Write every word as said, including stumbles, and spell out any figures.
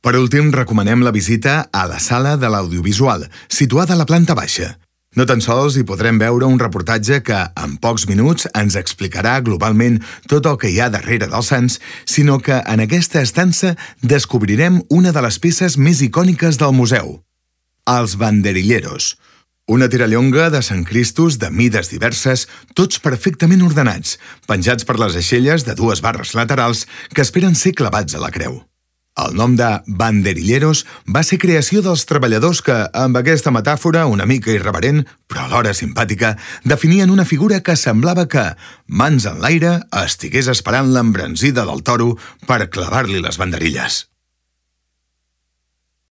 Per últim, recomanem la visita a la Sala de l'Audiovisual, situada a la planta baixa. No tan sols hi podrem veure un reportatge que, en pocs minuts, ens explicarà globalment tot el que hi ha darrere dels Sants, sinó que en aquesta estança descobrirem una de les peces més icòniques del museu. Els banderilleros. Una tirallonga de Sant Cristos de mides diverses, tots perfectament ordenats, penjats per les aixelles de dues barres laterals que esperen ser clavats a la creu. El nom de banderilleros va ser creació dels treballadors que, amb aquesta metàfora una mica irreverent, però alhora simpàtica, definien una figura que semblava que, mans en l'aire, estigués esperant l'embranzida del toro per clavar-li les banderilles.